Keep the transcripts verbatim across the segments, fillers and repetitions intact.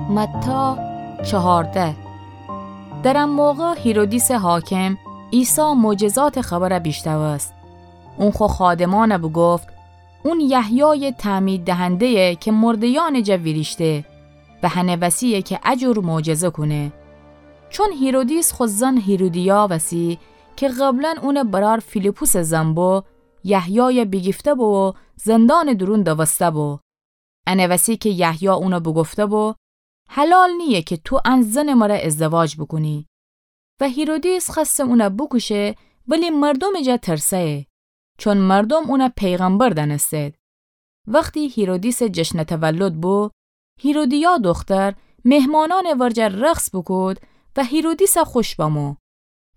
متی چهارده. در آن موقع هیرودیسٚ حاکم عیسی معجزاتٚ خبر بیشنوست. اون خو خادمأن بوگفت: اون یحیایٚ تعمید دهنده‌یه که مرده‌یأنٚ جا ویریشته و هنه وسی‌یه که ا جور معجزه کونه. چون هیرودیس خو زن هیرودیا وسی که قبلا اونٚ برأر فیلیپسٚ زن بو، یحیای بیگیفته‌بو و زندانٚ دورون دوسته‌بو. انه وسی که یحیی اون بوگفته‌بو: حلال نییه که تو ان زنٚ مره ازدواج بوکونی. و هیرودیس خوأسته اون بوکوشه، ولی مردومٚ جا ترسه‌یه، چون مردوم اون پیغمبر دأنستید. وختی هیرودیسٚ جشنٚ تولد بو، هیرودیا دختر مهمانأنٚ ورجه رقص بوکود و هیرودیس خوش بمو.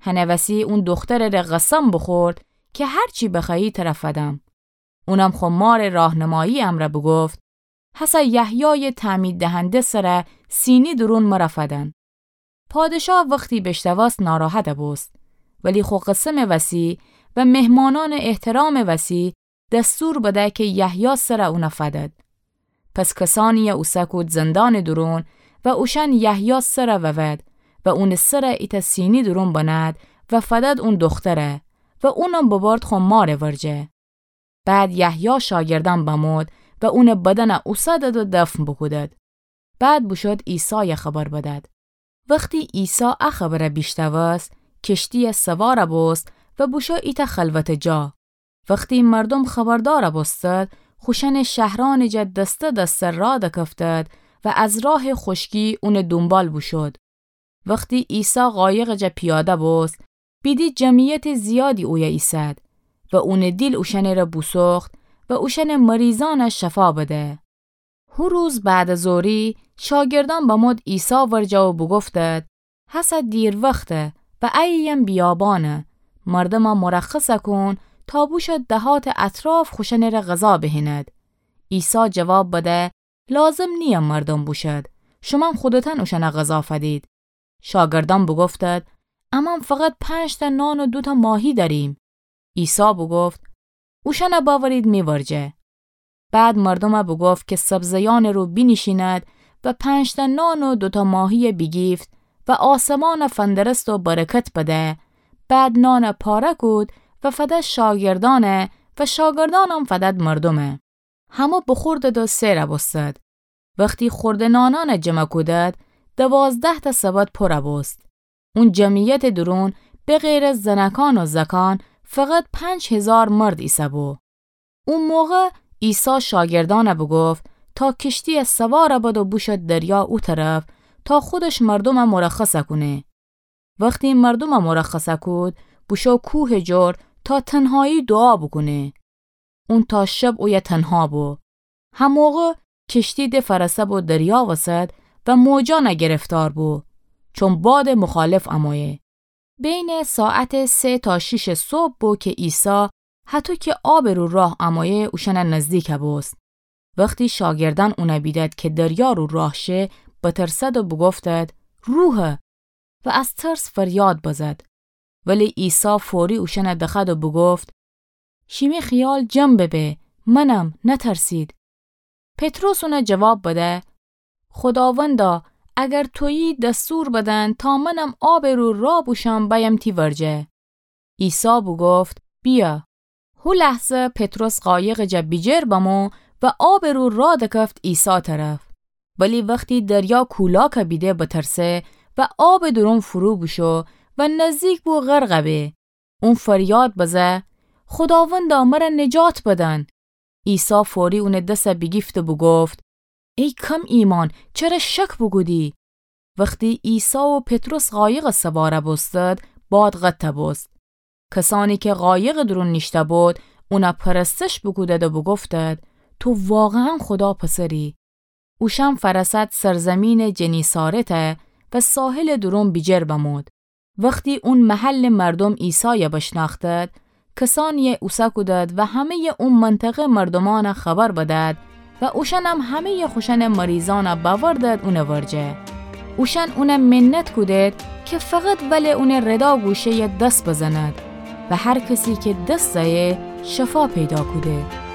هنه وسی اون دخترٚ ره قسم بوخورد که هر چی بخوأیی تر فدم. اونم خو مارٚ راهنمایی امرأ بوگفت: هسه یحیایٚ تعمید دهنده سر سینی دورون مر فدن. پادشاه وختی بیشنوست ناراحت بوست، ولی خو قسمٚ وسی و مهمانأنٚ احترامٚ وسی دستور بده که یحیی سر اون فدد. پس کسانیی اوسه کود زندانٚ دورون و اوشأن یحیی سر وود و اونٚ سر ایتأ سینی دورون بنهد و فدد اون دختر و اونم ببرد خو مارٚ ورجه. بعد یحیی شاگردأن بمود و اونٚ بدن اوسدد و دفن بوکودد. بعد بوشود عیسای خبر بدد. وختی عیسی ا خبر بیشنوست، کشتیی سوار بوست و بوشو ایتأ خلوتٚ جا. وختی مردوم خبردار بوستد، خوشأنٚ شهرأنٚ جا دسته دسته راه دکفتد و از راه خوشکی اونٚ دونبال بوشود. وختی عیسی قایقٚ جا پیاده بوست، بیدی جمعیتٚ زیادی اویه ایسد و اونٚ دیل اوشأنٚ ره بوسوخت و اوشأنٚ مریضأن شفا بده. هو روز بعد از ظهری شاگردأن بمود عیسی ورجه و بوگفتد: هسه دیروخته و اییم بیابانه، مردم مرخص کون تا بوشو دهاتٚ اطراف خوشأنٚ ره غذا بهینید. عیسی جواب بده: لازم نییه مردم بوشد، شومأن خودتأن اوشأن غذا فدید. شاگردأن بوگفتد: امأن فقط پنج‌تأ نان و دوتأ ماهی دأریم. عیسی بوگفت: اوشأن بأورید می ورجه. بعد مردوم بوگفت که سبزه‌یأنٚ رو بینیشیند و پنج‌تأ نان و دوتأ ماهی بیگیفت و آسمان فندرست و برکت بده. بعد نان پاره کود و فده شاگردأن و شاگردأنم فدد مردوم. همه بوخوردد و سیر بوستد. وختی خورده نانأن جمع کودد، دوازده‌تأ سبد پور بوست. اون جمعیتٚ دورون بغیر از زنکان و زکان فقط پنج هیزار مرد ایسه‌بو. او موقع عیسی شاگردأن بوگفت تا کشتی سوار بد و بوشد دریا او طرف تا خودش مردوم مرخص کونه. وختی مردوم مرخص کود، بوشو کوهٚ جور تا تنهایی دوعا بوکونه. اون تا شب اویه تنها بو. هموقع کشتی د فرسه بو دریا وسط و موجأن گرفتار بو، چون بادٚ مخالف امویه. بینٚ ساعتٚ سه تا شیشٚ صبح بو که عیسی هطو که آبٚ رو راه امویه اوشأن نزدیک بوست. وختی شاگردأن اون بیدد که دریا رو راه شه، بترسد و بوگفتد: روحه! و از ترس فریاد بزد. ولی عیسی فوری اوشأن دخوأد و بوگفت: شیمی خیال جمع ببه، منم، نترسید. پطرس اون جواب بده: خوداوندا، اگر تویی دستور بدن تا منم آبٚ رو راه بوشم بأیم تی ورجه. عیسی بوگفت: بیا. هو لحظه پطرس قایقٚ جا بیجیر بمو و آبٚ رو راه دکفت عیسی طرف. ولی وختی دریا کولاک بیده بترسه و آبٚ دورون فرو بوشو و نزدیک بو غرق به. اون فریاد بزه: خوداوندا، مر نجات بدن! عیسی فوری اون دس بیگیفت و بوگفت: ای کم ایمأن، چره شک بوکودی؟ وختی عیسی و پطرس قایق سوار بوستد، باد قطع بوست. کسأنی که قایقٚ دورون نیشته بود، اون پرستش بوکودد و بوگفتد: تو واقعاً خودا پسری. اوشأن فرسد سرزیمینٚ جنیسارت و ساحلٚ دورون بیجیر بمود. وختی اون محلٚ مردوم عیسای بشنأختد، کسأنی اوسه کودد و همه‌یٚ او منطقه مردومأن خبر بدد و اوشأنم همه‌یٚ خوشأنٚ مریضأن بأوردد اون ورجه. اوشأن اون منت کودد که فقط ولٚ اونٚ ردا گوشه‌یٚ دس بزند و هر کسی که دس زأیه شفا پیدا کوده.